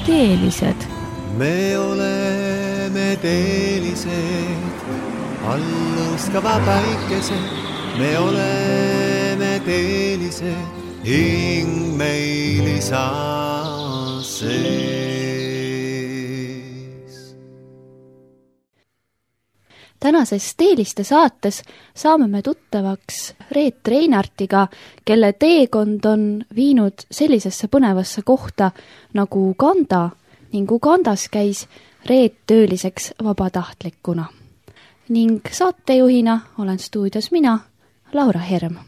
teelised. Me oleme teelised, allõuskava päikesed. Me oleme teelised, hing meil isa sees. Tänases Teeliste saates saame me tuttavaks Reet Reinartiga, kelle teekond on viinud sellisesse põnevasse kohta nagu Uganda ning Ugandas käis Reet tööliseks vabatahtlikuna. Ning saatejuhina olen stuudios mina, Laura Herm.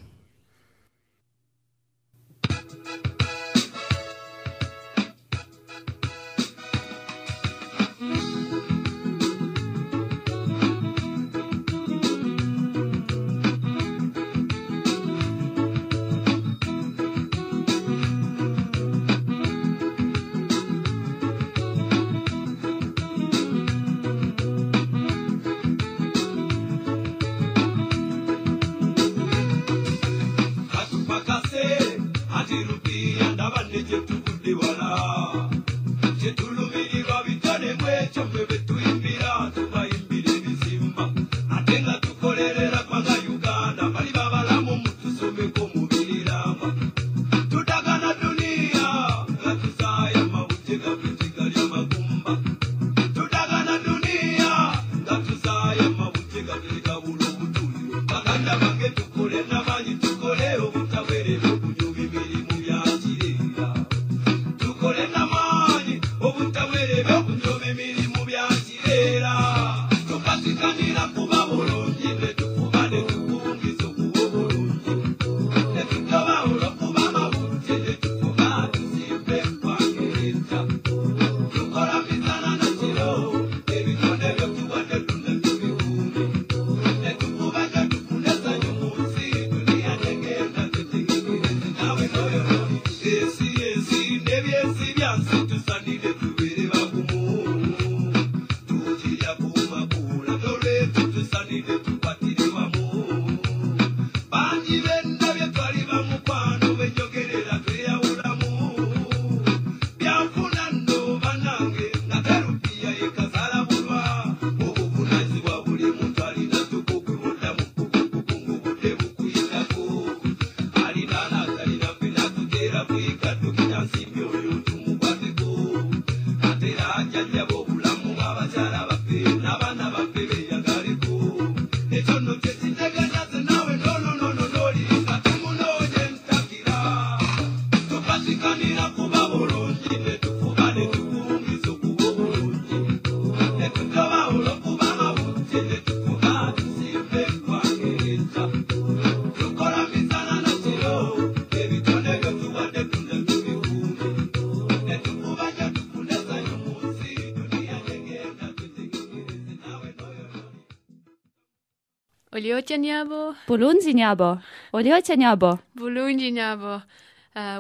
Oliotianyabo, Bulunzinyabo, Oliotianyabo, Bulunjinyabo,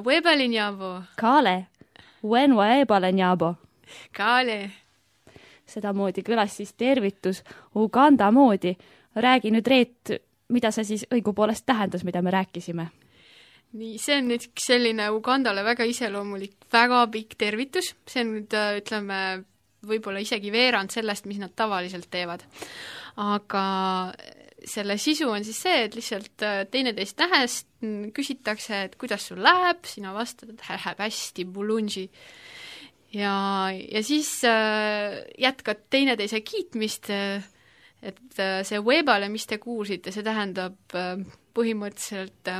Webalinyabo, Kaale, Uenwa Ebalenyabo. Kaale. Sedamoodi kõlas siis tervitus Uganda moodi. Räägi nüüd, Reet, mida see siis õigupoolest tähendas, mida me rääkisime? Nii, see on nüüd selline Ugandale väga iseloomulik, väga pikk tervitus. See on nüüd, ütleme, võib-olla isegi veerand sellest, mis nad tavaliselt teevad. Aga selle sisu on siis see, et lihtsalt teineteist nähes küsitakse, et kuidas sul läheb, sina vastad, et läheb hästi, bulunži. Ja siis jätkad teineteise kiitmist, et see webale, mis te kuulsite, see tähendab põhimõtteliselt,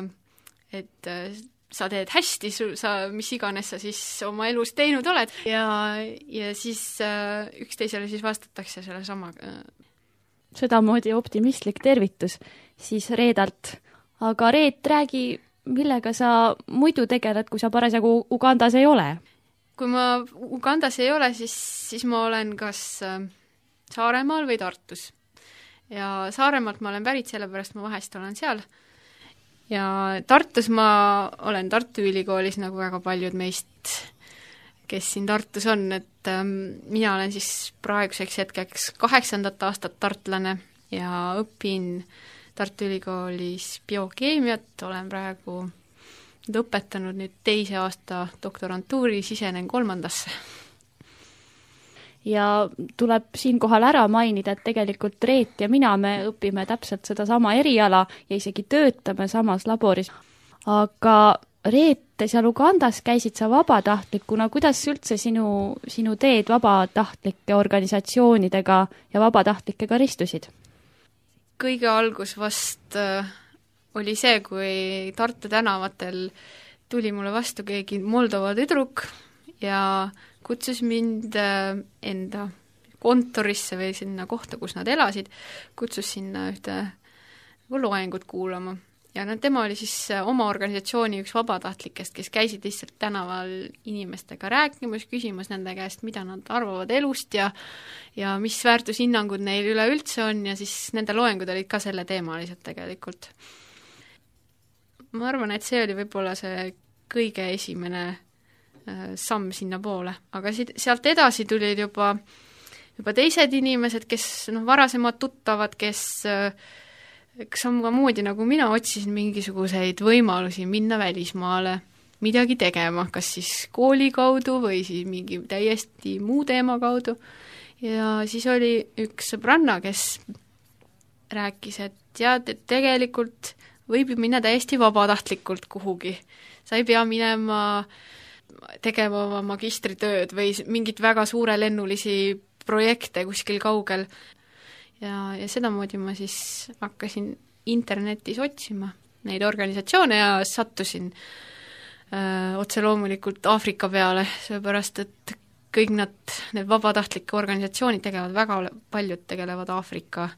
et sa teed hästi, mis iganes sa siis oma elus teinud oled ja siis üksteisele siis vastatakse selle sama. Sedamoodi optimistlik tervitus siis Reedalt. Aga Reet, räägi, millega sa muidu tegeled, kui sa parasjagu Ugandas ei ole? Kui ma Ugandas ei ole, siis ma olen kas Saaremaal või Tartus. Ja Saaremaalt ma olen pärit, sellepärast ma vahest olen seal. Ja Tartus ma olen Tartu Ülikoolis, nagu väga paljud meist, kes siin Tartus on, et mina olen siis praeguseks hetkeks 8. aastat tartlane ja õpin Tartu Ülikoolis biokeemiat, olen praegu õpetanud nüüd 2. aasta doktorantuuri, sisenen 3. ja tuleb siinkohal ära mainida, et tegelikult Reet ja mina, me õpime täpselt sedasama eriala ja isegi töötame samas laboris. Aga Reet, seal Ugandas käisid sa vabatahtlikuna, kuidas üldse sinu teed vabatahtlike organisatsioonidega ja vabatahtlikega ristusid? Kõige algus vast oli see, kui Tartu tänavatel tuli mulle vastu keegi Moldova tüdruk ja kutsus mind enda kontorisse või sinna kohta, kus nad elasid, kutsus sinna ühte loengut kuulama. Ja tema oli siis oma organisatsiooni üks vabatahtlikest, kes käisid lihtsalt tänaval inimestega rääkimas, küsimas nende käest, mida nad arvavad elust ja mis väärtushinnangud neil üleüldse on ja siis nende loengud olid ka selle teemalised tegelikult. Ma arvan, et see oli võib-olla see kõige esimene samm sinna poole, aga sealt edasi tulid juba teised inimesed, kes varasemad tuttavad, kes samamoodi nagu mina otsisin mingisuguseid võimalusi minna välismaale midagi tegema, kas siis kooli kaudu või siis mingi täiesti muu teema kaudu. Ja siis oli üks sõbranna, kes rääkis, et tead, et tegelikult võib ju minna täiesti vabatahtlikult kuhugi. Sa ei pea minema tegema oma magistritööd või mingit väga suurelennulisi projekte kuskil kaugel. Ja sedamoodi ma siis hakkasin internetis otsima neid organisatsioone ja sattusin otse loomulikult Aafrika peale, seepärast et kõik need vabatahtlike organisatsioonid tegevad, väga paljud tegelevad Aafrika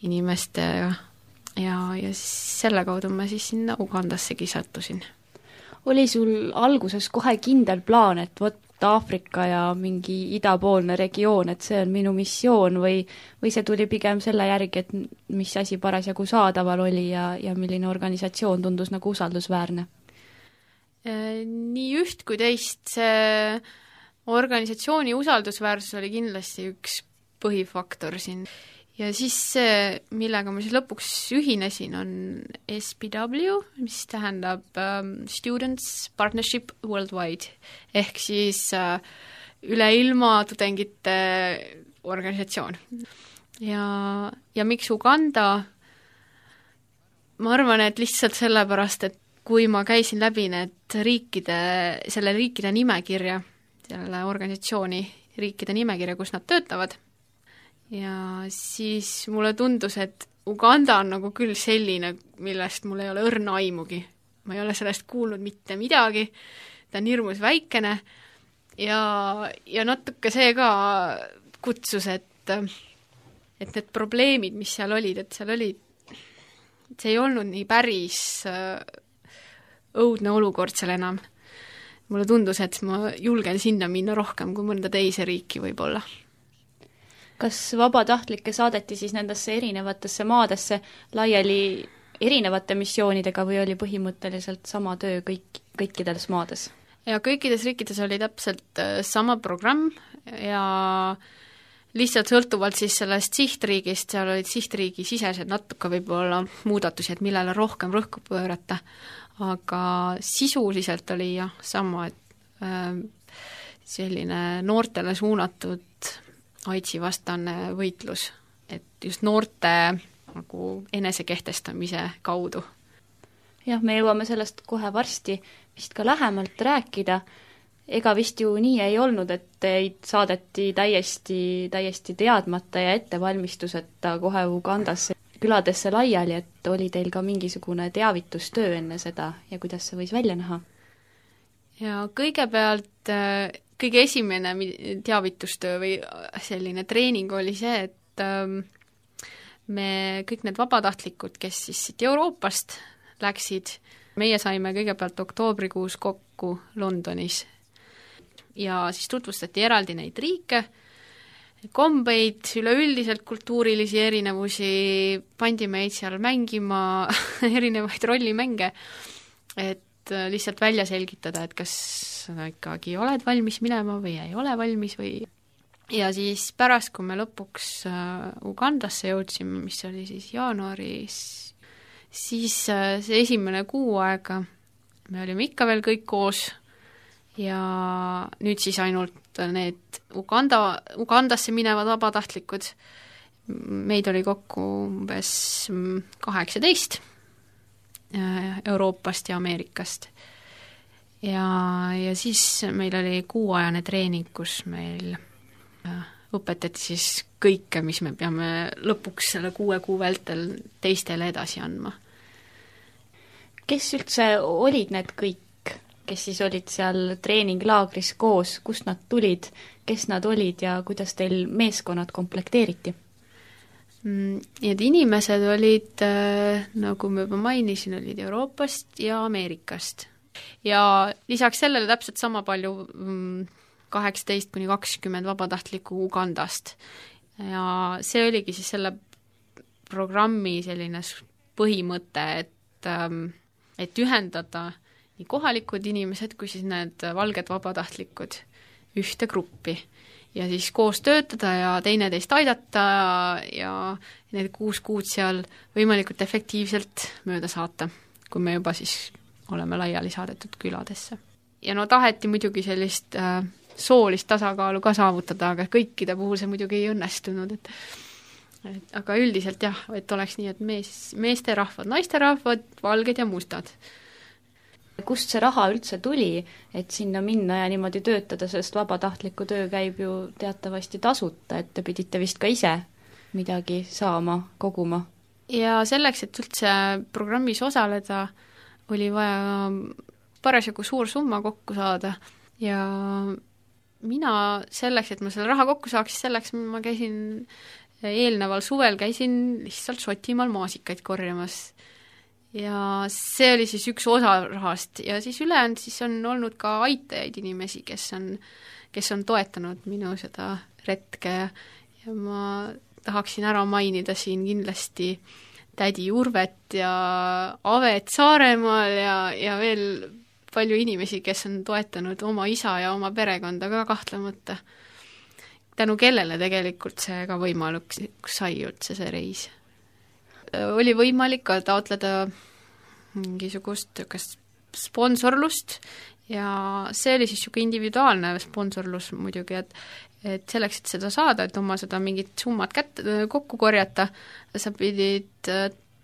inimestega ja siis selle kaudu ma siis sinna Ugandassegi sattusin. Oli sul alguses kohe kindel plaan, et vot Aafrika ja mingi idapoolne regioon, et see on minu missioon või see tuli pigem selle järgi, et mis asi parasjagu saadaval oli ja milline organisatsioon tundus nagu usaldusväärne? Nii üht kui teist, see organisatsiooni usaldusväärsus oli kindlasti üks põhifaktor siin. Ja siis see, millega ma siis lõpuks ühinesin, on SPW, mis tähendab Students Partnership Worldwide, ehk siis üle ilma tudengite organisatsioon. Ja miks Uganda? Ma arvan, et lihtsalt sellepärast, et kui ma käisin läbi selle riikide nimekirja, selle organisatsiooni riikide nimekirja, kus nad töötavad, ja siis mulle tundus, et Uganda on nagu küll selline, millest mul ei ole õrna aimugi. Ma ei ole sellest kuulnud mitte midagi, ta on hirmus väikene ja natuke see ka kutsus, et need probleemid, mis seal olid, see ei olnud nii päris õudne olukord seal enam. Mulle tundus, et ma julgen sinna minna rohkem kui mõnda teise riiki võib-olla. Kas vabatahtlikke saadeti siis nendesse erinevatesse maadesse laiali erinevate missioonidega või oli põhimõtteliselt sama töö kõikides maades? Ja kõikides riikides oli täpselt sama programm ja lihtsalt sõltuvalt siis sellest sihtriigist, seal olid sihtriigi sisesed natuke võib-olla muudatusi, et millele rohkem rõhku pöörata, aga sisuliselt oli jah sama, et selline noortele suunatud AIDSi vastane võitlus, et just noorte nagu enesekehtestamise kaudu. Jah, me jõuame sellest kohe varsti vist ka lähemalt rääkida. Ega vist ju nii ei olnud, et teid saadeti täiesti teadmata ja ettevalmistuseta kohe Ugandasse küladesse laiali, et oli teil ka mingisugune teavitustöö enne seda ja kuidas see võis välja näha? Ja kõigepealt kõige esimene teavitustöö või selline treening oli see, et me kõik need vabatahtlikud, kes siis siit Euroopast läksid, meie saime kõigepealt oktoobrikuus kokku Londonis ja siis tutvustati eraldi neid riike, kombeid, üleüldiselt kultuurilisi erinevusi, pandi meid seal mängima erinevaid rollimänge, et lihtsalt välja selgitada, et kas sa ikkagi oled valmis minema või ei ole valmis või. Ja siis pärast, kui me lõpuks Ugandasse jõudsime, mis oli siis jaanuaris, siis see esimene kuu aega me olime ikka veel kõik koos ja nüüd siis ainult need Ugandasse minevad vabatahtlikud, meid oli kokku umbes 18 Euroopast ja Ameerikast. Ja siis meil oli kuuajane treening, kus meil õpetati siis kõike, mis me peame lõpuks selle 6 kuu vältel teistele edasi andma. Kes üldse olid need kõik, kes siis olid seal treeninglaagris koos, kust nad tulid, kes nad olid ja kuidas teil meeskonnad komplekteeriti? Need inimesed olid, nagu ma juba mainisin, olid Euroopast ja Ameerikast. Ja lisaks sellele täpselt sama palju 18–20 vabatahtlikku Ugandast. Ja see oligi siis selle programmi selline põhimõte, et ühendada nii kohalikud inimesed kui siis need valged vabatahtlikud ühte gruppi ja siis koos töötada ja teineteist aidata ja need 6 kuud seal võimalikult efektiivselt mööda saata, kui me juba siis oleme laiali saadetud küladesse. Ja no taheti muidugi sellist soolist tasakaalu ka saavutada, aga kõikide puhul see muidugi ei õnnestunud, et aga üldiselt jah, et oleks nii, et meesterahvad, naisterahvad, valged ja mustad. Kust see raha üldse tuli, et sinna minna ja niimoodi töötada, sest vabatahtliku töö käib ju teatavasti tasuta, et te pidite vist ka ise midagi saama, koguma? Ja selleks, et üldse programmis osaleda, oli vaja parasjagu suur summa kokku saada ja mina selleks, et ma selle raha kokku saaks, selleks ma käisin eelneval suvel lihtsalt Šotimaal maasikaid korjamas. Ja see oli siis üks osa rahast ja siis ülejäänud siis on olnud ka aitajaid inimesi, kes on toetanud minu seda retke ja ma tahaksin ära mainida siin kindlasti tädi Urvet ja Avet Saaremaal ja veel palju inimesi, kes on toetanud oma isa ja oma perekonda ka kahtlemata, tänu kellele tegelikult see ka võimalik sai üldse see reis. Oli võimalik ka taotleda mingisugust sponsorlust ja see oli siis niisugune individuaalne sponsorlus muidugi, et selleks, et seda saada, et oma seda mingit summat kokku korjata, sa pidid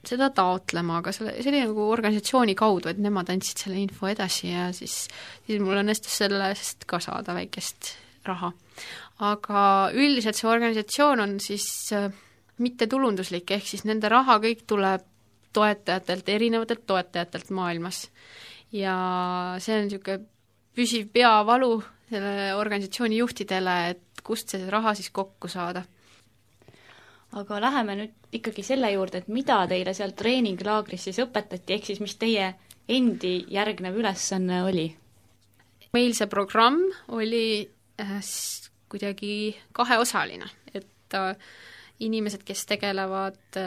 seda taotlema, aga see oli nagu organisatsiooni kaudu, et nemad andsid selle info edasi ja siis mul õnnestus sellest ka saada väikest raha. Aga üldiselt see organisatsioon on siis mittetulunduslik, ehk siis nende raha kõik tuleb toetajatelt, erinevatelt toetajatelt maailmas. Ja see on niisugune püsiv peavalu selle organisatsiooni juhtidele, et kust see raha siis kokku saada. Aga läheme nüüd ikkagi selle juurde, et mida teile seal treeninglaagris siis õpetati, ehk siis mis teie endi järgnev ülesanne oli? Meil see programm oli kuidagi kaheosaline, et inimesed, kes tegelevad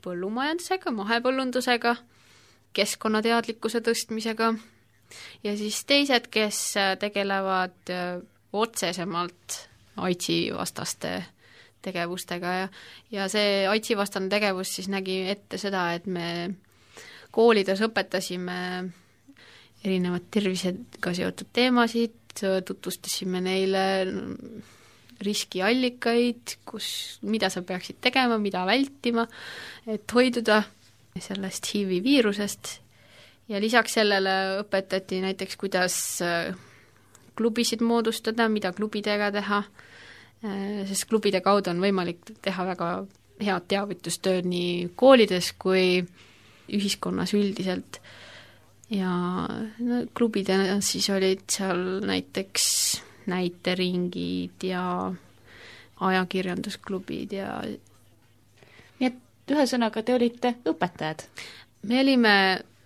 põllumajandusega, mahepõllundusega, keskkonnateadlikkuse tõstmisega ja siis teised, kes tegelevad otsesemalt AIDSi vastaste tegevustega ja see AIDSi vastane tegevus siis nägi ette seda, et me koolides õpetasime erinevad tervisega seotud teemasid, tutvustasime neile riskiallikaid, mida sa peaksid tegema, mida vältima, et hoiduda sellest HIV viirusest ja lisaks sellele õpetati näiteks, kuidas klubisid moodustada, mida klubidega teha, sest klubide kaudu on võimalik teha väga head teavitustööd nii koolides kui ühiskonnas üldiselt. Ja no, klubidena siis olid seal näiteks näiteringid ja ajakirjandusklubid ja nii et ühesõnaga te olite õpetajad? Me olime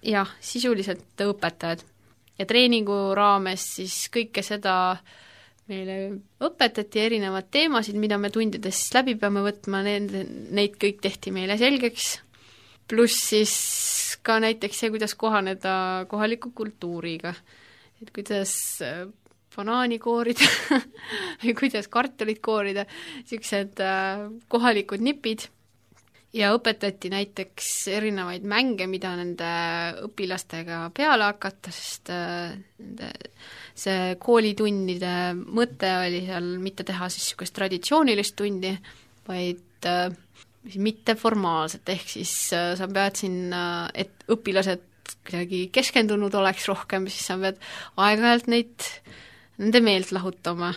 jah, sisuliselt õpetajad ja treeningu raames siis kõike seda meile õpetati, erinevad teemasid, mida me tundides läbi peame võtma, neid kõik tehti meile selgeks, pluss siis ka näiteks see, kuidas kohaneda kohaliku kultuuriga, et kuidas banaani koorida või kuidas kartulit koorida, niisugused kohalikud nipid. ja õpetati näiteks erinevaid mänge, mida nende õpilastega peale hakata, sest see koolitunnide mõte oli seal mitte teha siis niisugust traditsioonilist tundi, vaid mitteformaalset, ehk siis sa pead sinna, et õpilased kuidagi keskendunud oleks rohkem, siis sa pead aeg-ajalt nende meelt lahutama,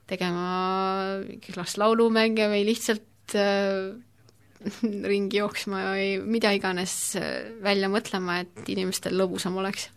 tegema igast laulumänge või lihtsalt ringi jooksma või mida iganes välja mõtlema, et inimestel lõbusam oleks.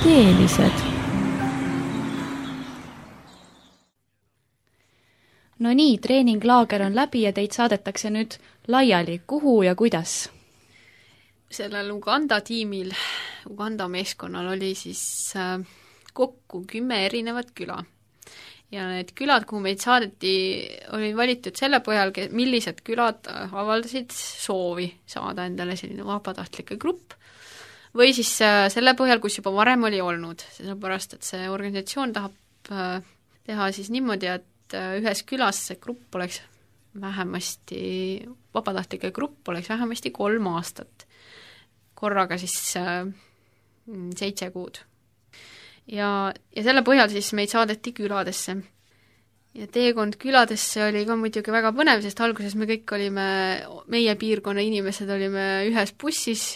Teelised. No nii, treeninglaager on läbi ja teid saadetakse nüüd laiali. Kuhu ja kuidas? Sellel Uganda tiimil, Uganda meeskonnal oli siis kokku 10 erinevat küla. Ja need külad, kuhu meid saadeti, oli valitud selle põhjal, millised külad avaldasid soovi saada endale selline vabatahtlike grupp. Või siis selle põhjal, kus juba varem oli olnud, sellepärast, et see organisatsioon tahab teha siis niimoodi, et ühes külas see grupp oleks vähemasti, vabatahtlike grupp oleks vähemasti 3 aastat, korraga siis 7 kuud. Ja selle põhjal siis meid saadeti küladesse. Ja teekond küladesse oli ka muidugi väga põnev, sest alguses me kõik olime, meie piirkonna inimesed olime ühes bussis,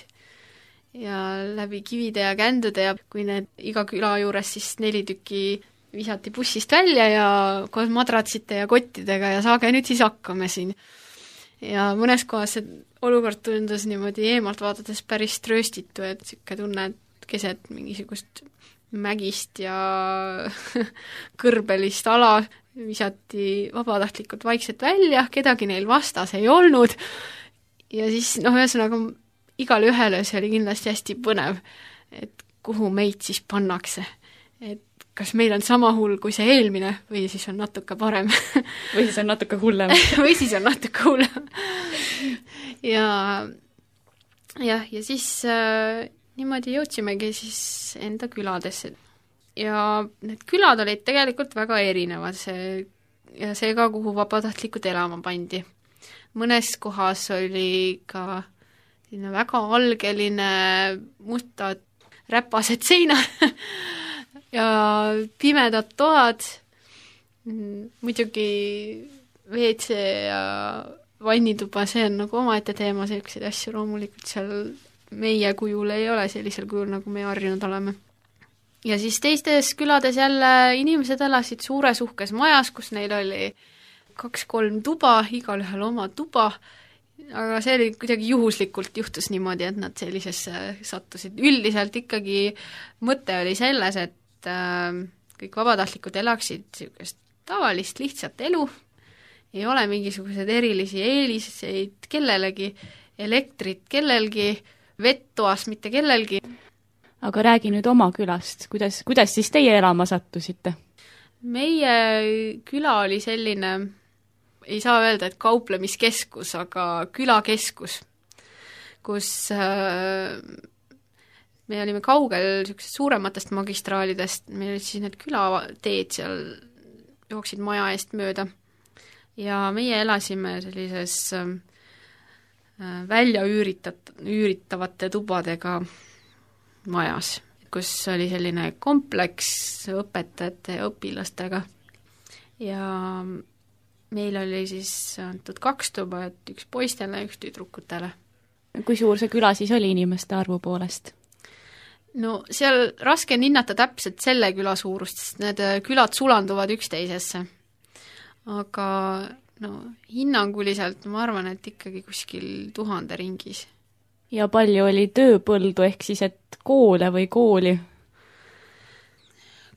ja läbi kivide ja kändude ja kui need iga küla juures siis 4 tükki visati bussist välja ja koos madratsite ja kottidega ja saage nüüd siis hakkame siin. Ja mõnes kohas see olukord tundus niimoodi eemalt vaadates päris trööstitu, et siuke tunne, et keset mingisugust mägist ja kõrbelist ala visati vabatahtlikult vaikselt välja, kedagi neil vastas ei olnud ja siis ühesõnaga igal ühele see oli kindlasti hästi põnev, et kuhu meid siis pannakse. Et kas meil on sama hull kui see eelmine või siis on natuke parem. Või siis on natuke hullem. Või siis on natuke hullem. Ja siis niimoodi jõudsimegi siis enda küladesse. Ja need külad olid tegelikult väga erinevad, see ka, kuhu vabatahtlikud elama pandi. Mõnes kohas oli ka väga algeline mustad räpased seinad ja pimedad toad, muidugi WC ja vannituba, see on nagu omaette teema, selliseid asju loomulikult seal meie kujul ei ole sellisel kujul, nagu me harjunud oleme. ja siis teistes külades jälle inimesed elasid suures uhkes majas, kus neil oli 2-3 tuba, igalühel oma tuba, aga see oli kuidagi juhuslikult juhtus niimoodi, et nad sellisesse sattusid. Üldiselt ikkagi mõte oli selles, et kõik vabatahtlikud elaksid niisugust tavalist lihtsat elu, ei ole mingisuguseid erilisi eeliseid kellelegi, elektrit kellelgi, vett toas mitte kellelgi. Aga räägi nüüd oma külast, kuidas siis teie elama sattusite? Meie küla oli selline, ei saa öelda, et kauplemiskeskus, aga külakeskus, kus me olime kaugel suurematest magistraalidest, meil olid siis need külateed seal, jooksid maja eest mööda ja meie elasime sellises välja üüritavate tubadega majas, kus oli selline kompleks õpetajate ja õpilastega ja meil oli siis antud 2 tuba, et üks poistele ja üks tüdrukutele. Kui suur see küla siis oli inimeste arvu poolest? No seal raske on hinnata täpselt selle küla suurust, sest need külad sulanduvad üksteisesse. Aga no hinnanguliselt ma arvan, et ikkagi kuskil 1000 ringis. Ja palju oli tööpõldu ehk siis, et koole või kooli?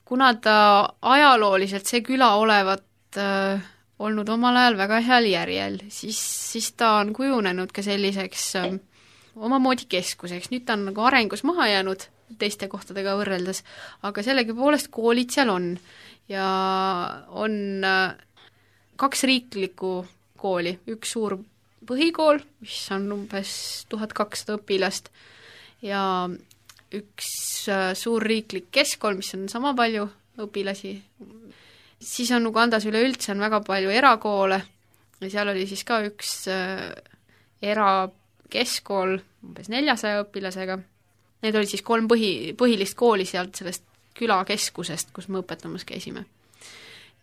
Kuna ta ajalooliselt see küla olevat olnud omal ajal väga heal järjel, siis ta on kujunenud ka selliseks omamoodi keskuseks. Nüüd ta on nagu arengus maha jäänud teiste kohtadega võrreldes, aga sellegipoolest koolid seal on ja on 2 riiklikku kooli, üks suur põhikool, mis on umbes 1200 õpilast ja üks suur riiklik keskkool, mis on sama palju õpilasi. Siis on Ugandas üleüldse on väga palju erakoole ja seal oli siis ka üks erakeskkool umbes 400 õpilasega. Need olid siis 3 põhilist kooli sealt sellest külakeskusest, kus me õpetamas käisime.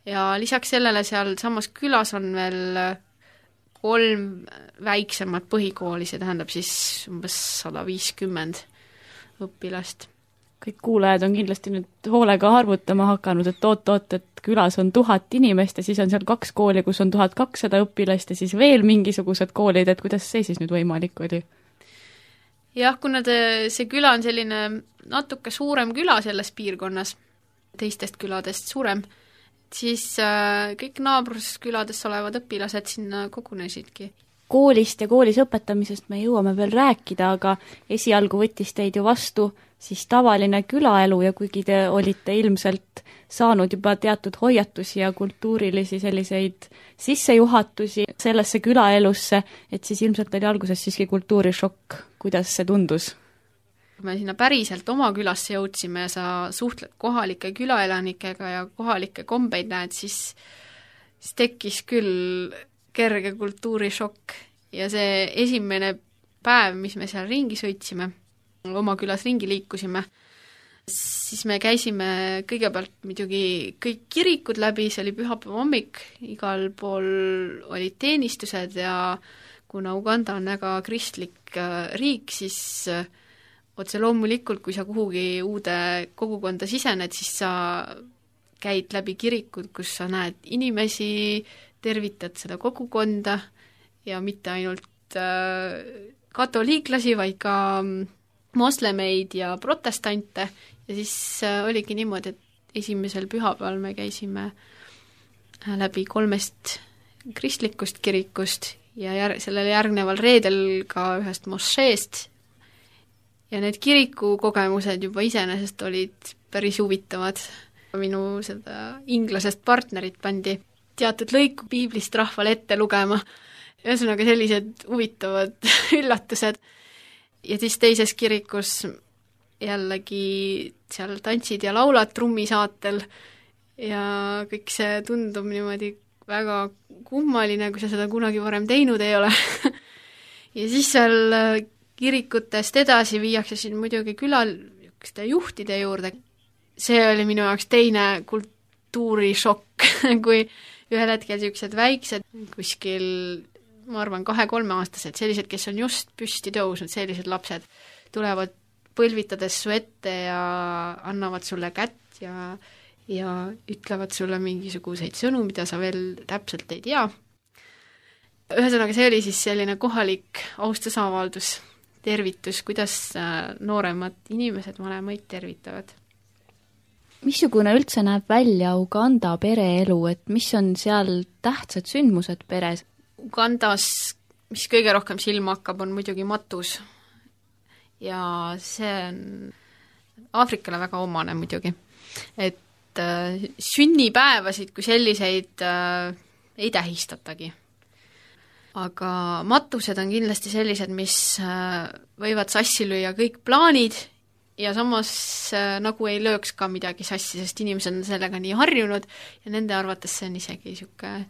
Ja lisaks sellele seal samas külas on veel 3 väiksemat põhikooli, see tähendab siis umbes 150 õpilast. Kõik kuulajad on kindlasti nüüd hoolega arvutama hakanud, et oot, et külas on 1000 inimest ja siis on seal 2 kooli, kus on 1200 õpilast ja siis veel mingisugused koolid, et kuidas see siis nüüd võimalik oli? Jah, kuna see küla on selline natuke suurem küla selles piirkonnas, teistest küladest suurem, siis kõik naabruskülades olevad õpilased sinna kogunesidki. Koolist ja koolis õpetamisest me jõuame veel rääkida, aga esialgu võttis teid ju vastu siis tavaline külaelu ja kuigi te olite ilmselt saanud juba teatud hoiatusi ja kultuurilisi selliseid sissejuhatusi sellesse külaelusse, et siis ilmselt oli alguses siiski kultuurishokk. Kuidas see tundus? Kui me sinna päriselt oma külasse jõudsime ja sa suhtled kohalike külaelanikega ja kohalike kombeid näed, siis tekkis küll kerge kultuurishokk ja see esimene päev, mis me seal ringi sõitsime, oma külas ringi liikusime, siis me käisime kõigepealt muidugi kõik kirikud läbi, see oli pühapäeva hommik, igal pool olid teenistused ja kuna Uganda on väga kristlik riik, siis otse loomulikult, kui sa kuhugi uude kogukonda sisened, siis sa käid läbi kirikud, kus sa näed inimesi, tervitad seda kogukonda ja mitte ainult katoliiklasi, vaid ka moslemeid ja protestante ja siis oligi niimoodi, et esimesel pühapäeval me käisime läbi 3 kristlikust kirikust ja sellele järgneval reedel ka ühest mošeest ja need kirikukogemused juba iseenesest olid päris huvitavad. Minu seda inglasest partnerit pandi teatud lõiku piiblist rahvale ette lugema, ühesõnaga sellised huvitavad üllatused. Ja siis teises kirikus jällegi seal tantsid ja laulad trummisaatel ja kõik see tundub niimoodi väga kummaline, kui sa seda kunagi varem teinud ei ole. Ja siis seal kirikutest edasi viiakse siin muidugi külaliste juhtide juurde. See oli minu jaoks teine kultuurishokk, kui ühel hetkel niisugused väiksed kuskil, ma arvan, 2-3 aastased, sellised, kes on just püsti tõusnud, sellised lapsed tulevad põlvitades su ette ja annavad sulle kätt ja ütlevad sulle mingisuguseid sõnu, mida sa veel täpselt ei tea. Ühesõnaga, see oli siis selline kohalik austusavaldus, tervitus, kuidas nooremad inimesed vanemaid tervitavad. Missugune üldse näeb välja Uganda pereelu, et mis on seal tähtsad sündmused peres? Ugandas, mis kõige rohkem silma hakkab, on muidugi matus. Ja see on Aafrikale väga omane muidugi. Et sünnipäevasid kui selliseid ei tähistatagi. Aga matused on kindlasti sellised, mis võivad sassi lüüa kõik plaanid ja samas nagu ei lööks ka midagi sassi, sest inimesed on sellega nii harjunud ja nende arvates see on isegi niisugune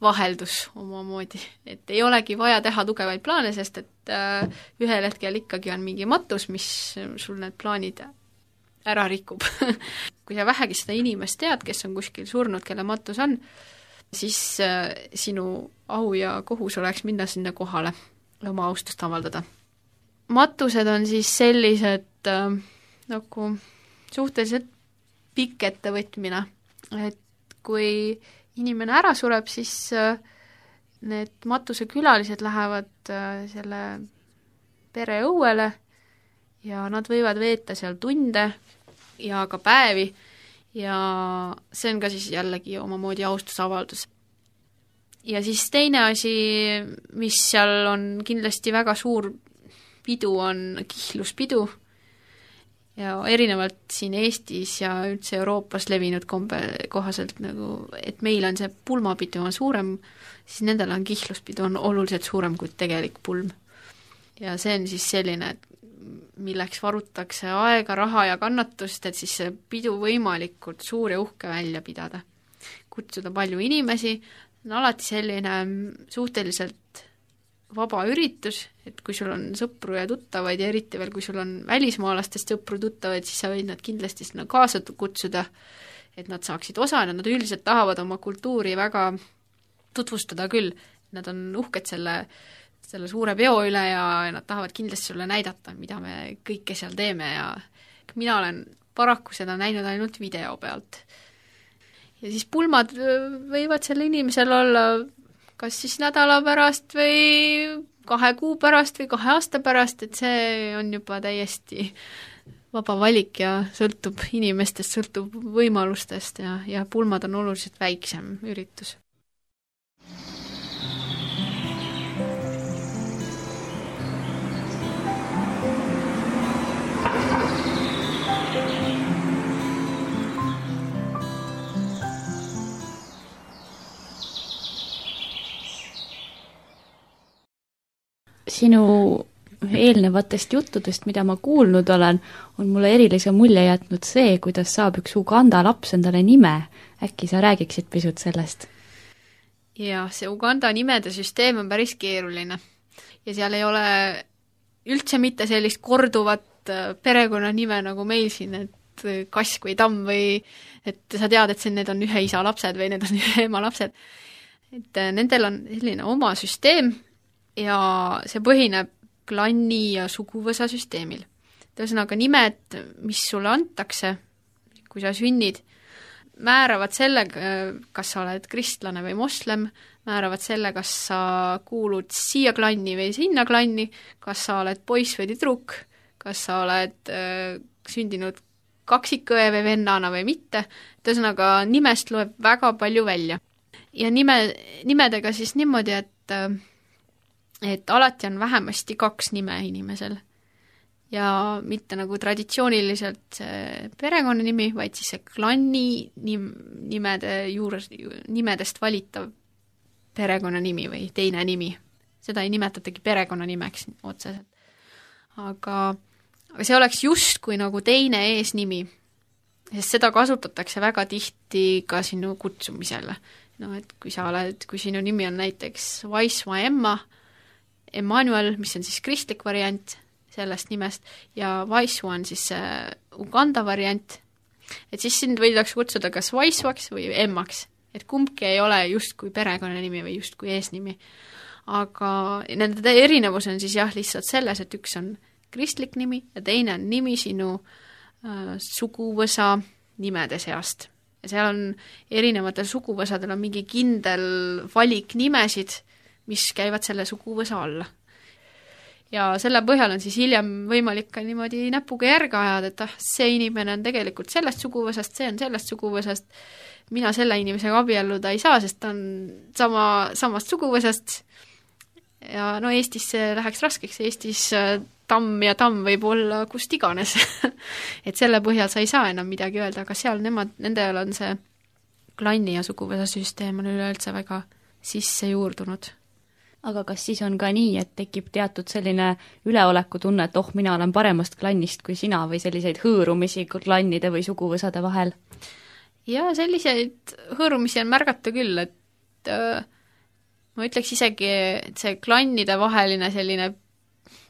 vaheldus omamoodi, et ei olegi vaja teha tugevaid plaane, sest et ühel hetkel ikkagi on mingi matus, mis sul need plaanid ära rikub. Kui sa vähegi seda inimest tead, kes on kuskil surnud, kelle matus on, siis sinu au ja kohus oleks minna sinna kohale ja oma austust avaldada. Matused on siis sellised nagu suhteliselt pikk ettevõtmine, et kui inimene ära sureb, siis need matuse külalised lähevad selle pere õuele ja nad võivad veeta seal tunde ja ka päevi ja see on ka siis jällegi omamoodi austusavaldus. Ja siis teine asi, mis seal on kindlasti väga suur pidu, on kihluspidu. Ja erinevalt siin Eestis ja üldse Euroopas levinud kohaselt, nagu, et meil on see pulmapidu on suurem, siis nendel on kihluspidu on oluliselt suurem kui tegelik pulm. Ja see on siis selline, milleks varutakse aega, raha ja kannatust, et siis see pidu võimalikult suur ja uhke välja pidada. Kutsuda palju inimesi, on alati selline suhteliselt vaba üritus, et kui sul on sõpru ja tuttavaid ja eriti veel, kui sul on välismaalastest sõpru tuttavaid, siis sa võid nad kindlasti sinna kaasa kutsuda, et nad saaksid osa ja nad üldiselt tahavad oma kultuuri väga tutvustada küll. Nad on uhked selle suure peo üle ja nad tahavad kindlasti sulle näidata, mida me kõike seal teeme ja mina olen paraku seda näinud ainult video pealt. Ja siis pulmad võivad selle inimesel olla kas siis nädala pärast või 2 kuu pärast või 2 aasta pärast, et see on juba täiesti vaba valik ja sõltub inimestest, sõltub võimalustest ja pulmad on oluliselt väiksem üritus. Sinu eelnevatest juttudest, mida ma kuulnud olen, on mulle erilise mulje jätnud see, kuidas saab üks Uganda laps endale nime. Äkki sa räägiksid pisut sellest? Ja see Uganda nimede süsteem on päris keeruline. Ja seal ei ole üldse mitte sellist korduvat perekonnanime nagu meil siin, et Kask või Tamm või et sa tead, et need on ühe isa lapsed või need on ühe ema lapsed. Et nendel on selline oma süsteem, ja see põhineb klanni ja suguvõsa süsteemil. Ühesõnaga nimed, mis sulle antakse, kui sa sünnid, määravad selle, kas sa oled kristlane või moslem, määravad selle, kas sa kuulud siia klanni või sinna klanni, kas sa oled poiss või tüdruk, kas sa oled sündinud kaksikõe või vennana või mitte. Ühesõnaga nimest loeb väga palju välja. Ja nimedega siis niimoodi, et alati on vähemasti 2 nime inimesel ja mitte nagu traditsiooniliselt see perekonnanimi, vaid siis see klanni nimedest valitav perekonnanimi või teine nimi. Seda ei nimetatagi perekonnanimeks otseselt. Aga see oleks justkui nagu teine eesnimi, sest seda kasutatakse väga tihti ka sinu kutsumisele. No, et kui sinu nimi on näiteks Vaisma Emma, Emmanuel, mis on siis kristlik variant sellest nimest, ja Vaisu on siis Uganda variant, et siis sind võidakse kutsuda kas Vaisvaks või Emmaks, et kumbki ei ole justkui perekonnanimi või justkui eesnimi. Aga nende erinevus on siis jah lihtsalt selles, et üks on kristlik nimi ja teine on nimi sinu suguvõsa nimede seast. Ja seal on erinevatel suguvõsadel on mingi kindel valik nimesid, mis käivad selle suguvõsa alla. Ja selle põhjal on siis hiljem võimalik ka niimoodi näpuga järge ajada, et see inimene on tegelikult sellest suguvõsast, see on sellest suguvõsast, mina selle inimesega abielluda ei saa, sest ta on samast suguvõsast. Ja no Eestis see läheks raskeks, Eestis tamm ja tamm võib olla kust iganes. Et selle põhjal sa ei saa enam midagi öelda, aga seal nendel on see klanni ja suguvõsa süsteem on üleüldse väga sisse juurdunud. Aga kas siis on ka nii, et tekib teatud selline üleoleku tunne, et mina olen paremast klannist kui sina või selliseid hõõrumisi klannide või suguvõsade vahel? Ja selliseid hõõrumisi on märgata küll, et ma ütleks isegi, et see klannide vaheline selline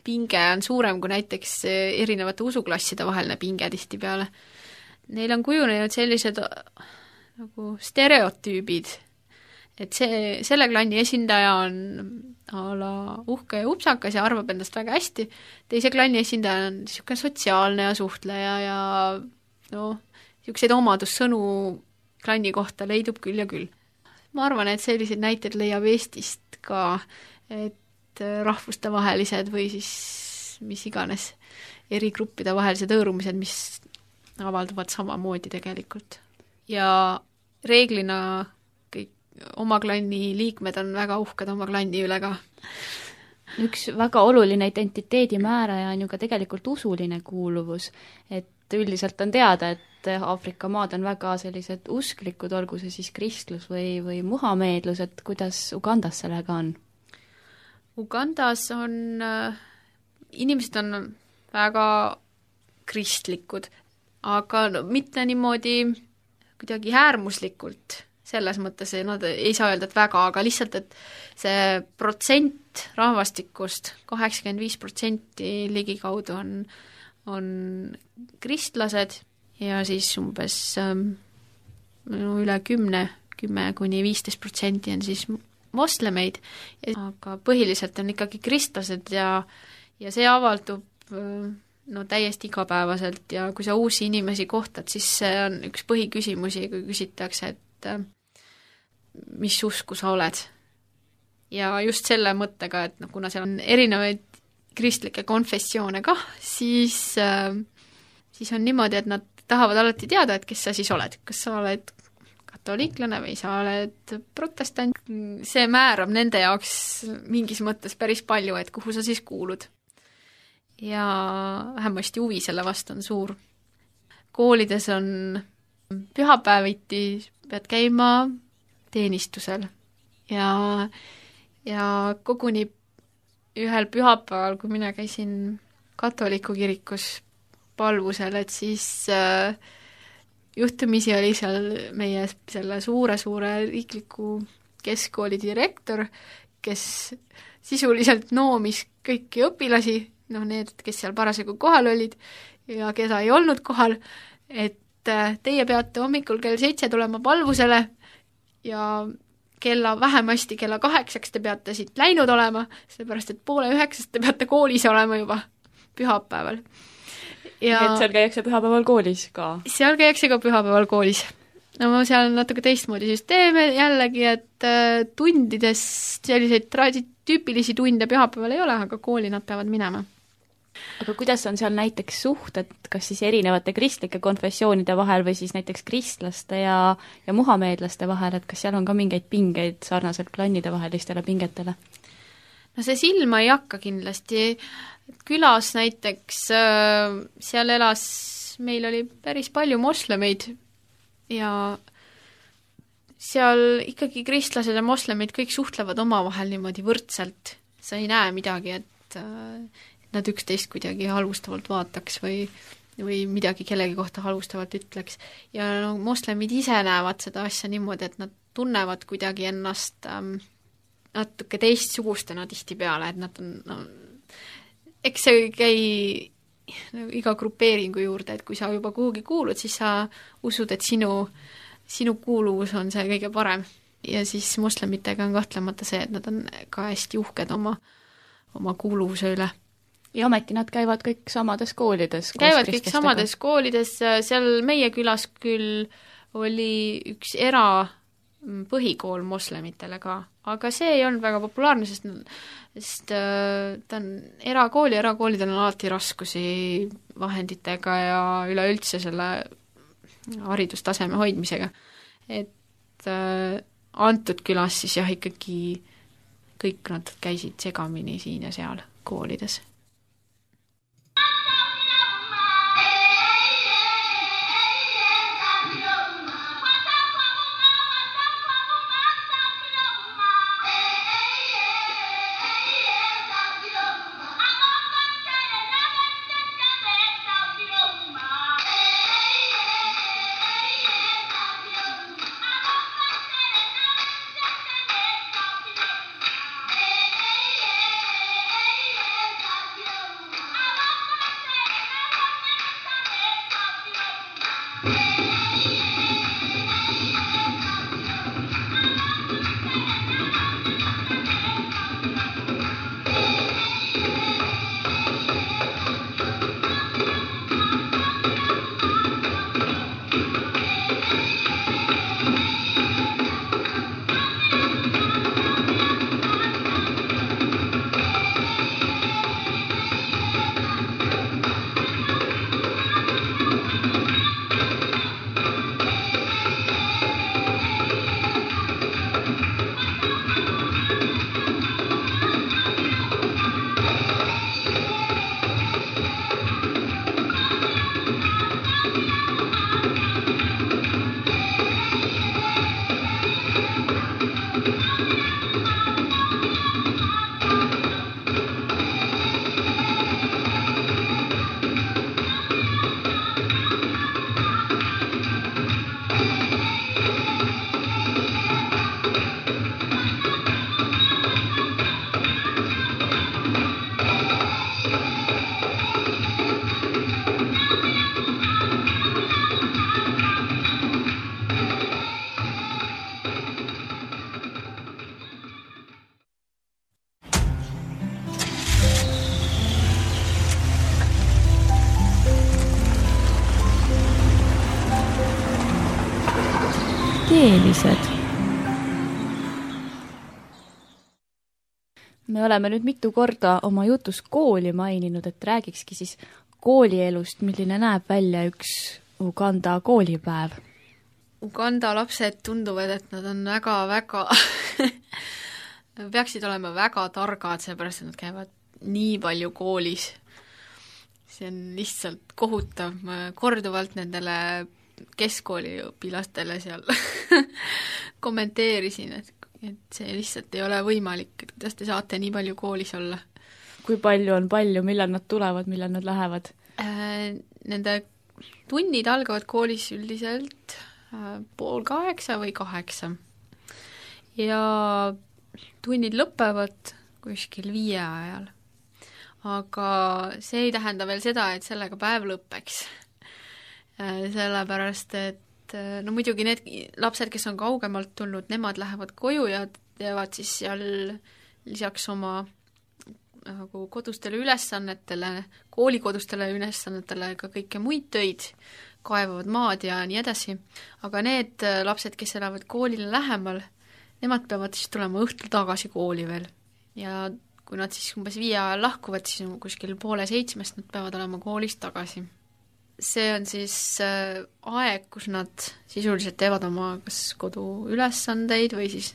pinge on suurem kui näiteks erinevate usuklasside vaheline pinge tihtipeale. Neil on kujunenud sellised nagu stereotüübid, et selle klanni esindaja on a la uhke ja upsakas ja arvab endast väga hästi, teise klanni esindaja on niisugune sotsiaalne ja suhtleja ja niisuguseid omadussõnu klanni kohta leidub küll ja küll. Ma arvan, et selliseid näiteid leiab Eestist ka, et rahvustevahelised või siis mis iganes eri gruppide vahelised hõõrumised, mis avalduvad samamoodi tegelikult. Ja reeglina kõik oma klanni liikmed on väga uhked oma klanni üle ka. Üks väga oluline identiteedi määraja on ju ka tegelikult usuline kuuluvus, et üldiselt on teada, et Aafrika maad on väga sellised usklikud, olgu see siis kristlus või muhameedlus, et kuidas Ugandas sellega on? Ugandas on, inimesed on väga kristlikud, aga mitte niimoodi kuidagi äärmuslikult, selles mõttes nad ei saa öelda, et väga, aga lihtsalt, et see protsent rahvastikust, 85% ligikaudu on kristlased ja siis umbes üle 10 kuni 15% on siis moslemeid, aga põhiliselt on ikkagi kristlased ja see avaldub täiesti igapäevaselt ja kui sa uusi inimesi kohtad, siis see on üks põhiküsimusi, kui küsitakse, et mis usku sa oled. Ja just selle mõttega, et kuna seal on erinevaid kristlikke konfessioone kah, siis on niimoodi, et nad tahavad alati teada, et kes sa siis oled. Kas sa oled katoliiklane või sa oled protestant. See määrab nende jaoks mingis mõttes päris palju, et kuhu sa siis kuulud. Ja vähemasti huvi selle vastu on suur. Koolides on pühapäeviti, pead käima teenistusel ja koguni ühel pühapäeval, kui mina käisin katoliku kirikus palvusel, et siis juhtumisi oli seal meie selle suure riikliku keskkooli direktor, kes sisuliselt noomis kõiki õpilasi, need, kes seal parasjagu kohal olid ja keda ei olnud kohal, et teie peate hommikul kell 7 tulema palvusele ja vähemasti kella 8 te peate siit läinud olema, sellepärast et 8:30 te peate koolis olema juba pühapäeval. Et seal käiakse pühapäeval koolis ka? Seal käiakse ka pühapäeval koolis. Seal on natuke teistmoodi süsteeme jällegi, et tundides selliseid tüüpilisi tunde pühapäeval ei ole, aga kooli nad peavad minema. Aga kuidas on seal näiteks suhted, kas siis erinevate kristlike konfessioonide vahel või siis näiteks kristlaste ja muhameedlaste vahel, et kas seal on ka mingeid pingeid sarnaselt klannide vahelistele pingetele? See silma ei hakka kindlasti. Külas näiteks, seal meil oli päris palju moslemeid ja seal ikkagi kristlased ja moslemid kõik suhtlevad omavahel niimoodi võrdselt. Sa ei näe midagi, et nad üksteist kuidagi halvustavalt vaataks või midagi kellegi kohta halvustavalt ütleks. Ja moslemid ise näevad seda asja niimoodi, et nad tunnevad kuidagi ennast natuke teistsugustena tihtipeale, et nad on, eks see käi iga grupeeringu juurde, et kui sa juba kuhugi kuulud, siis sa usud, et sinu kuuluvus on see kõige parem. Ja siis moslemitega on kahtlemata see, et nad on ka hästi uhked oma kuuluvuse üle. ja ometi nad käivad kõik samades koolides. Käivad kõik samades koolides, seal meie külas küll oli üks põhikool moslemitele ka, aga see ei olnud väga populaarne, sest ta on erakoolidel on alati raskusi vahenditega ja üleüldse selle haridustaseme hoidmisega. Et antud külas siis jah, ikkagi kõik nad käisid segamini siin ja seal koolides. Teelised. Me oleme nüüd mitu korda oma jutus kooli maininud, et räägikski siis koolielust, milline näeb välja üks Uganda koolipäev. Uganda lapsed tunduvad, et nad on väga-väga peaksid olema väga targad, seepärast, et nad käivad nii palju koolis. See on lihtsalt kohutav. Ma korduvalt nendele keskkooliõpilastele seal kommenteerisin, et see lihtsalt ei ole võimalik, et kuidas te saate nii palju koolis olla. Kui palju on palju, millal nad tulevad, millal nad lähevad? Nende tunnid algavad koolis üldiselt 7:30 või 8. Ja tunnid lõpevad kuskil 5 ajal. Aga see ei tähenda veel seda, et sellega päev lõpeks. Sellepärast, et no muidugi need lapsed, kes on kaugemalt tulnud, nemad lähevad koju ja teevad siis seal lisaks oma nagu kodustele ülesannetele, koolikodustele ülesannetele ka kõike muid töid, kaevavad maad ja nii edasi. Aga need lapsed, kes elavad koolile lähemal, nemad peavad siis tulema õhtul tagasi kooli veel. Ja kui nad siis umbes 5 ajal lahkuvad, siis kuskil 6:30 nad peavad olema koolis tagasi. See on siis aeg, kus nad sisuliselt teevad oma kas koduülesandeid või siis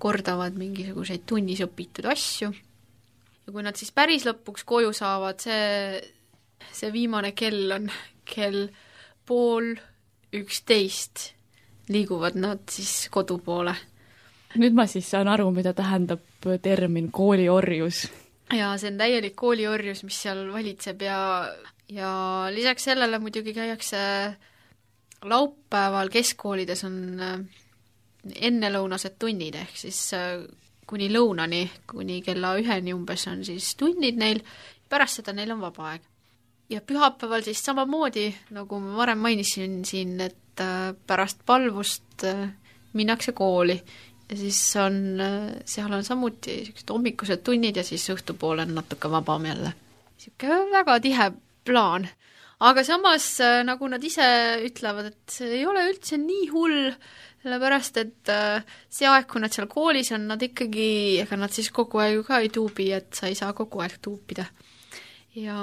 kordavad mingisuguseid tunnis õpitud asju. Ja kui nad siis päris lõpuks koju saavad, see viimane kell on kell 10:30, liiguvad nad siis kodu poole. Nüüd ma siis saan aru, mida tähendab termin kooliorjus. Ja see on täielik kooliorjus, mis seal valitseb ja lisaks sellele muidugi käiakse laupäeval keskkoolides on ennelõunased tunnid, ehk siis kuni lõunani, kuni kella 1 umbes on siis tunnid neil, pärast seda neil on vaba aeg. Ja pühapäeval siis samamoodi, nagu ma varem mainisin siin, et pärast palvust minnakse kooli ja siis seal on samuti hommikused tunnid ja siis õhtupoole on natuke vabam jälle. niisugune väga tihe plaan. Aga samas, nagu nad ise ütlevad, et see ei ole üldse nii hull, sellepärast, et see aeg, kui nad seal koolis on, nad ikkagi, ega nad siis kogu aeg ka ei tuubi, et sa ei saa kogu aeg tuupida. Ja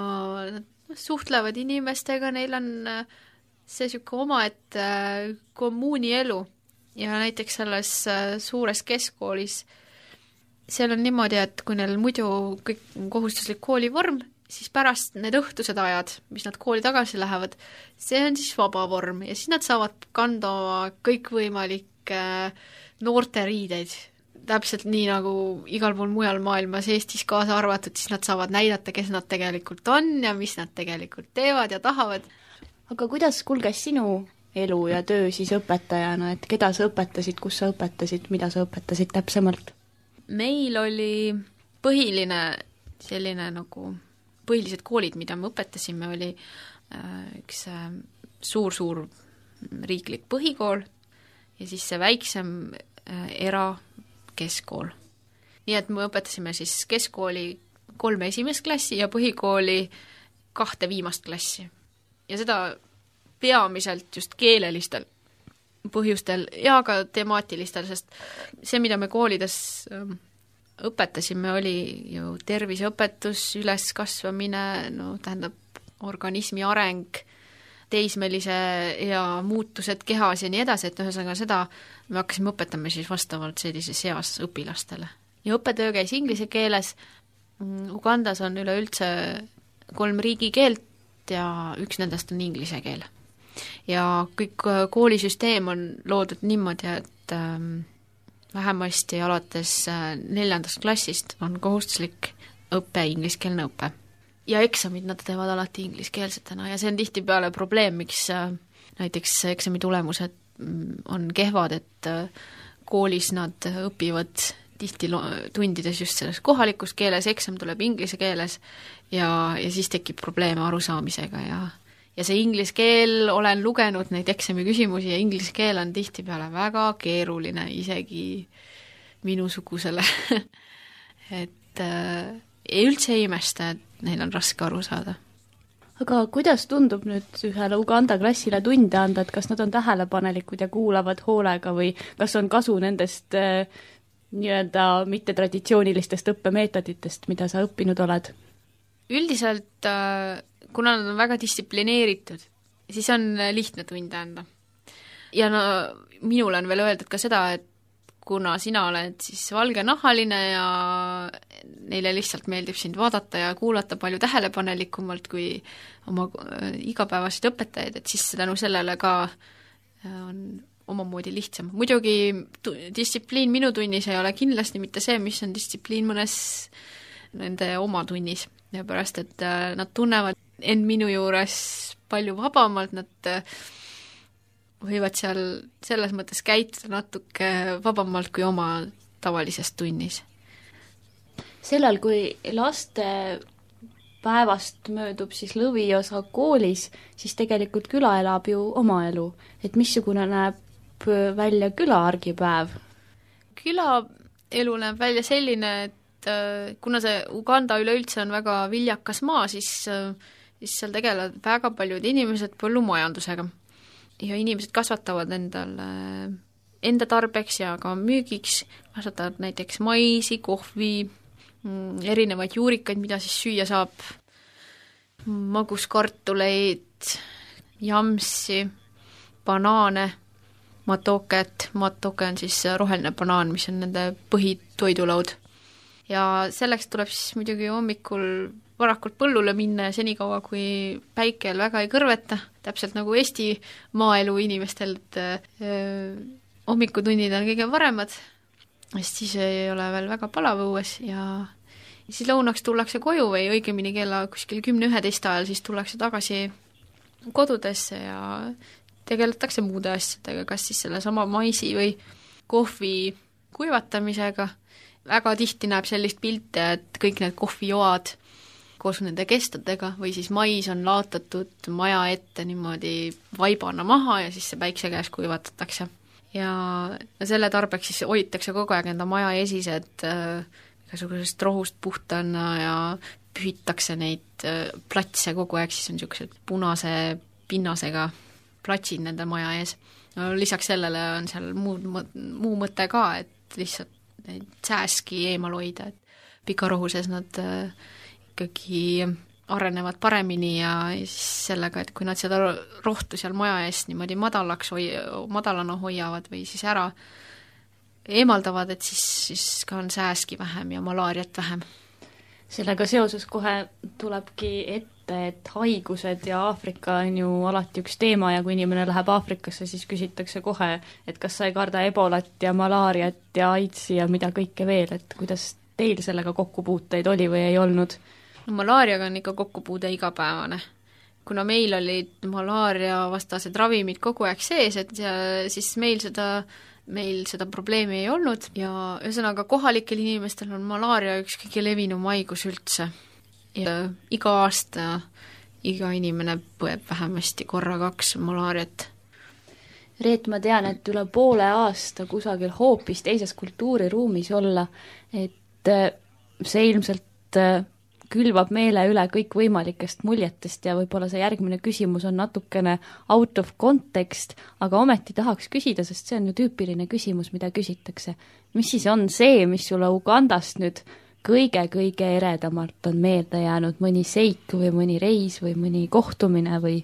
nad suhtlevad inimestega, neil on see niisugune omaette kommuuni elu. Ja näiteks selles suures keskkoolis seal on niimoodi, et kui neil muidu kõik on kohustuslik koolivorm, siis pärast need õhtused ajad, mis nad kooli tagasi lähevad, see on siis vaba vorm ja siis nad saavad kanda kõikvõimalikke noorteriideid. Täpselt nii nagu igal pool mujal maailmas, Eestis kaasa arvatud, siis nad saavad näidata, kes nad tegelikult on ja mis nad tegelikult teevad ja tahavad. Aga kuidas kulges sinu elu ja töö siis õpetajana, et keda sa õpetasid, kus sa õpetasid, mida sa õpetasid täpsemalt? Meil oli põhiline selline nagu põhilised koolid, mida me õpetasime, oli üks suur riiklik põhikool ja siis see väiksem erakeskkool. Nii et me õpetasime siis keskkooli 3 esimest klassi ja põhikooli 2 viimast klassi. Ja seda peamiselt just keelelistel põhjustel ja ka temaatilistel, sest see, mida me koolides õpetasime, oli ju terviseõpetus, üleskasvamine, tähendab organismi areng, teismelise ja muutused kehas ja nii edasi, et ühesõnaga seda me hakkasime õpetama siis vastavalt sellises eas õpilastele. Ja õppetöö käis inglise keeles, Ugandas on üleüldse 3 riigikeelt ja üks nendest on inglise keel. Ja kõik koolisüsteem on loodud niimoodi, et vähemasti alates 4. klassist on kohustuslik õpe, ingliskeelne õpe. Ja eksamid nad teevad alati ingliskeelsetena ja see on tihtipeale probleem, miks näiteks eksami tulemused on kehvad, et koolis nad õpivad tihti tundides just selles kohalikus keeles, eksam tuleb inglise keeles ja siis tekib probleeme arusaamisega ja see inglise keel, olen lugenud neid eksami küsimusi ja inglise keel on tihtipeale väga keeruline, isegi minusugusele. et üldse ei imesta, et neil on raske aru saada. Aga kuidas tundub nüüd ühele Uganda klassile tunde anda, et kas nad on tähelepanelikud ja kuulavad hoolega või kas on kasu nendest nii-öelda mittetraditsioonilistest õppemeetoditest, mida sa õppinud oled? Üldiselt kuna nad on väga distsiplineeritud, siis on lihtne tunde anda. Ja minul on veel öeldud ka seda, et kuna sina oled siis valgenahaline ja neile lihtsalt meeldib sind vaadata ja kuulata palju tähelepanelikumalt kui oma igapäevaseid õpetajaid, et siis tänu sellele ka on omamoodi lihtsam. Muidugi distsipliin minu tunnis ei ole kindlasti mitte see, mis on distsipliin mõnes nende oma tunnis, ja pärast, et nad tunnevad end minu juures palju vabamalt, nad võivad seal selles mõttes käituda natuke vabamalt kui oma tavalises tunnis. Sellal, kui laste päevast möödub siis lõviosa koolis, siis tegelikult küla elab ju oma elu. Et missugune näeb välja küla argipäev? Küla elu näeb välja selline, et kuna see Uganda üleüldse on väga viljakas maa, siis seal tegelevad väga paljud inimesed põllumajandusega. Ja inimesed kasvatavad enda tarbeks ja ka müügiks, kasvatavad näiteks maisi, kohvi, erinevaid juurikaid, mida siis süüa saab, maguskartuleid, jamsi, banaane, matoket on siis roheline banaan, mis on nende põhitoidulaud. Ja selleks tuleb siis muidugi hommikul varakult põllule minna ja senikaua, kui päikel väga ei kõrveta, täpselt nagu Eesti maaelu inimestel, et hommikutunnid on kõige paremad, sest siis ei ole veel väga palav õues ja siis lõunaks tullakse koju või õigemini kella kuskil 10-11 ajal, siis tullakse tagasi kodudesse ja tegeletakse muude asjadega, kas siis selle sama maisi või kohvi kuivatamisega. Väga tihti näeb sellist pilte, et kõik need kohvijoad koos nende kestadega või siis mais on laotatud maja ette niimoodi vaibana maha ja siis see päikse käes kuivatatakse. Ja selle tarbeks siis hoitakse kogu aeg enda maja esised igasugusest rohust puhtana ja pühitakse neid platse kogu aeg, siis on niisugused punase pinnasega platsid nende maja ees. No, lisaks sellele on seal muu mõte ka, et lihtsalt neid sääski eemal hoida, et pikarohuses nad ikkagi arenevad paremini ja siis sellega, et kui nad seda rohtu seal maja eest niimoodi madalana hoiavad või siis ära eemaldavad, et siis ka on sääski vähem ja malaariat vähem. Sellega seoses kohe tulebki ette, et haigused ja Aafrika on ju alati üks teema ja kui inimene läheb Aafrikasse, siis küsitakse kohe, et kas sa ei karda ebolat ja malaariat ja AIDSi ja mida kõike veel, et kuidas teil sellega kokkupuuteid oli või ei olnud? No, malaariaga on ikka kokkupuude igapäevane. Kuna meil olid malaaria-vastased ravimid kogu aeg sees, et siis meil seda probleemi ei olnud ja ühesõnaga kohalikel inimestel on malaaria üks kõige levinum haigus üldse. Ja iga aasta iga inimene põeb vähemasti korra 2 malaariat. Reet, ma tean, et üle poole aasta kusagil hoopis teises kultuuriruumis olla, et see ilmselt külvab meele üle kõik võimalikest muljetest ja võib-olla see järgmine küsimus on natukene out of context, aga ometi tahaks küsida, sest see on ju tüüpiline küsimus, mida küsitakse. Mis siis on see, mis sulle Ugandast nüüd kõige eredamalt on meelde jäänud, mõni seik või mõni reis või mõni kohtumine või?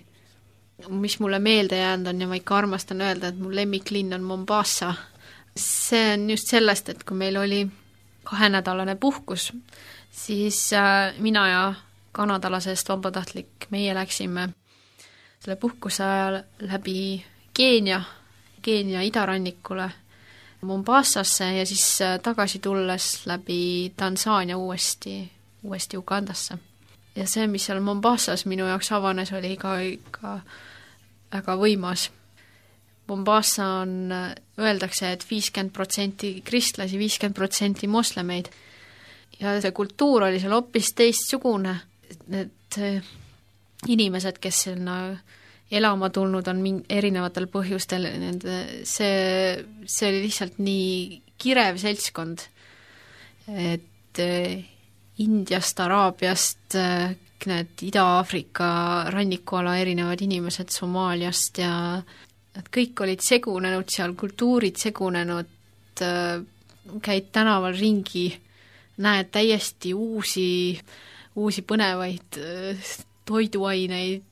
Mis mulle meelde jäänud on ja ma ikka armastan öelda, et mu lemmiklinn on Mombasa. See on just sellest, et kui meil oli 2-nädalane puhkus, siis mina ja kanadalasest vabatahtlik, meie läksime selle puhkuse ajal läbi Keenia idarannikule Mombasasse ja siis tagasi tulles läbi Tansaania uuesti Ugandasse. Ja see, mis seal Mombasas minu jaoks avanes, oli ikka väga võimas. Mombasa on, öeldakse, et 50% kristlasi, 50% moslemeid. Ja see kultuur oli seal hoopis teistsugune. Need inimesed, kes sinna elama tulnud on erinevatel põhjustel, see oli lihtsalt nii kirev seltskond, et Indiast, Araabiast, need Ida-Aafrika rannikuala erinevad inimesed Somaaliast ja nad kõik olid segunenud seal, kultuurid segunenud, käid tänaval ringi, näed täiesti uusi põnevaid toiduaineid,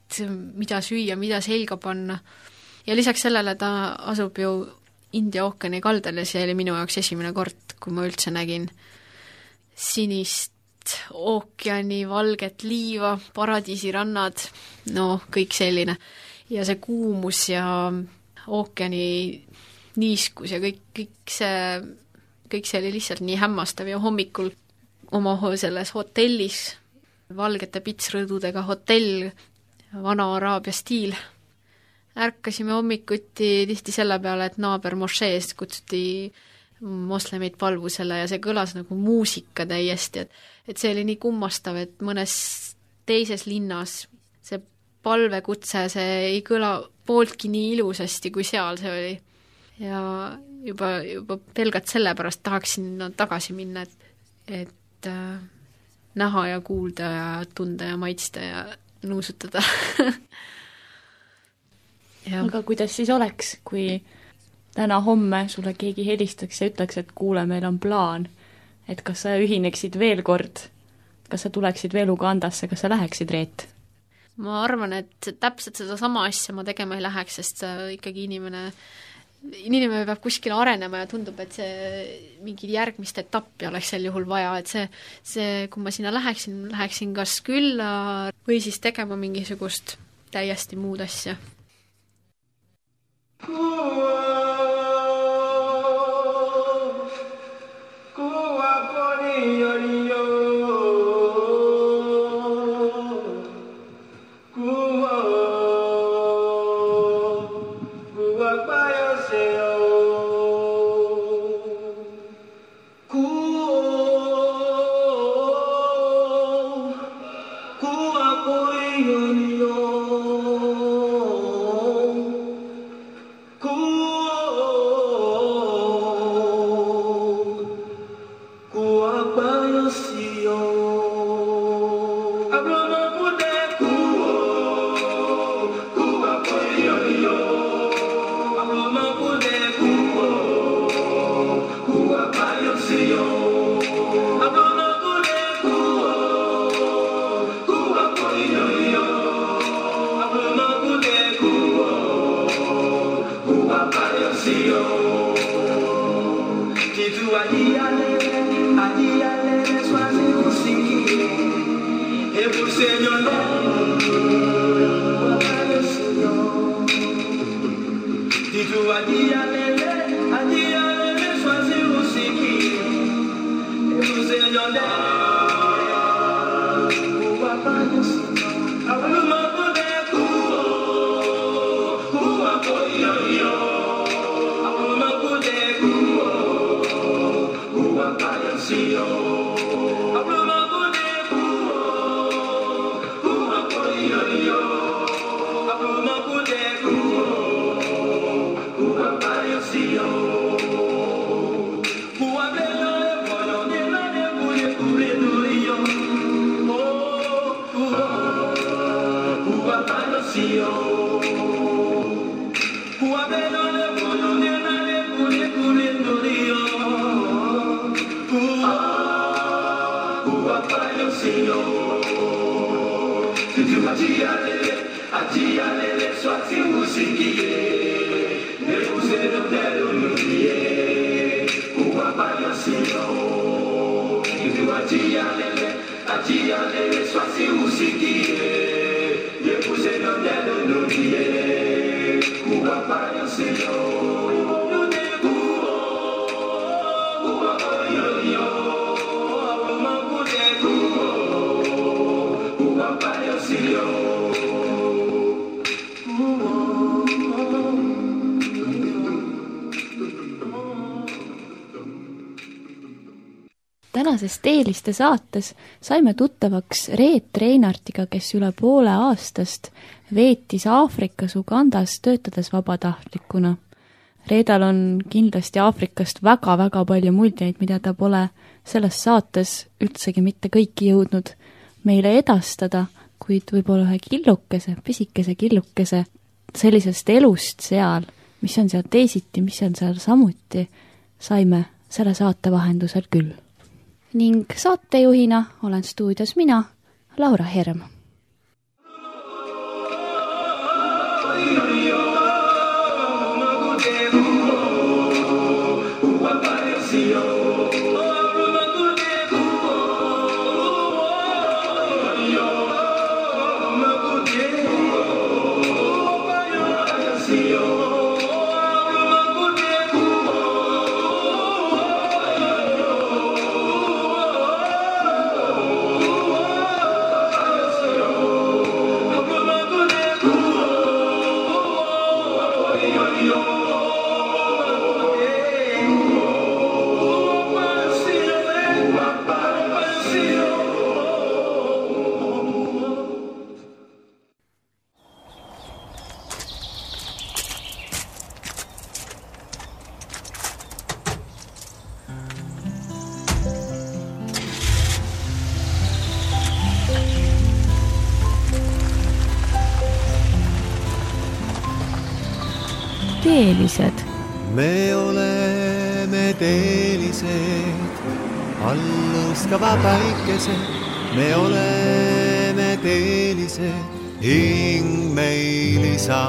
mida süüa, mida selga panna. Ja lisaks sellele ta asub ju India ookeani kaldal ja see oli minu jaoks esimene kord, kui ma üldse nägin sinist ookeani, valget liiva, paradiisirannad, no kõik selline. Ja see kuumus ja ookeani niiskus ja kõik see oli lihtsalt nii hämmastav ja hommikul oma selles hotellis, valgete pitsrõdudega hotell, vana araabia stiil, ärkasime hommikuti tihti selle peale, et naaber mošeest kutsuti moslemeid palvusele ja see kõlas nagu muusika täiesti, et see oli nii kummastav, et mõnes teises linnas see palvekutse, see ei kõla pooltki nii ilusasti, kui seal see oli. Ja juba pelgalt sellepärast tahaksin tagasi minna, et näha ja kuulda ja tunda ja maitsta ja nuusutada. Ja. Aga kuidas siis oleks, kui täna-homme sulle keegi helistaks ja ütleks, et kuule, meil on plaan, et kas sa ühineksid veel kord, kas sa tuleksid veel Ugandasse, kas sa läheksid, Reet? Ma arvan, et täpselt seda sama asja ma tegema ei läheks, sest ikkagi inimene peab kuskil arenema ja tundub, et see mingi järgmist etappi oleks sel juhul vaja, et see kui ma sinna läheksin kas külla või siis tegema mingisugust täiesti muud asja. Tänases Teeliste saates saime tuttavaks Reet Reinartiga, kes üle poole aastast veetis Aafrikas Ugandas töötades vabatahtlikuna. Reedal on kindlasti Aafrikast väga-väga palju muljeid, mida ta pole selles saates üldsegi mitte kõiki jõudnud meile edastada, kuid võib-olla ühe killukese, pisikese killukese sellisest elust seal, mis on seal teisiti, mis on seal samuti, saime selle saate vahendusel küll. Ning saatejuhina olen stuudios mina, Laura Herm. Teelised. Me oleme teelised, alluskava päikesed. Me oleme teelised, hing meil isaased.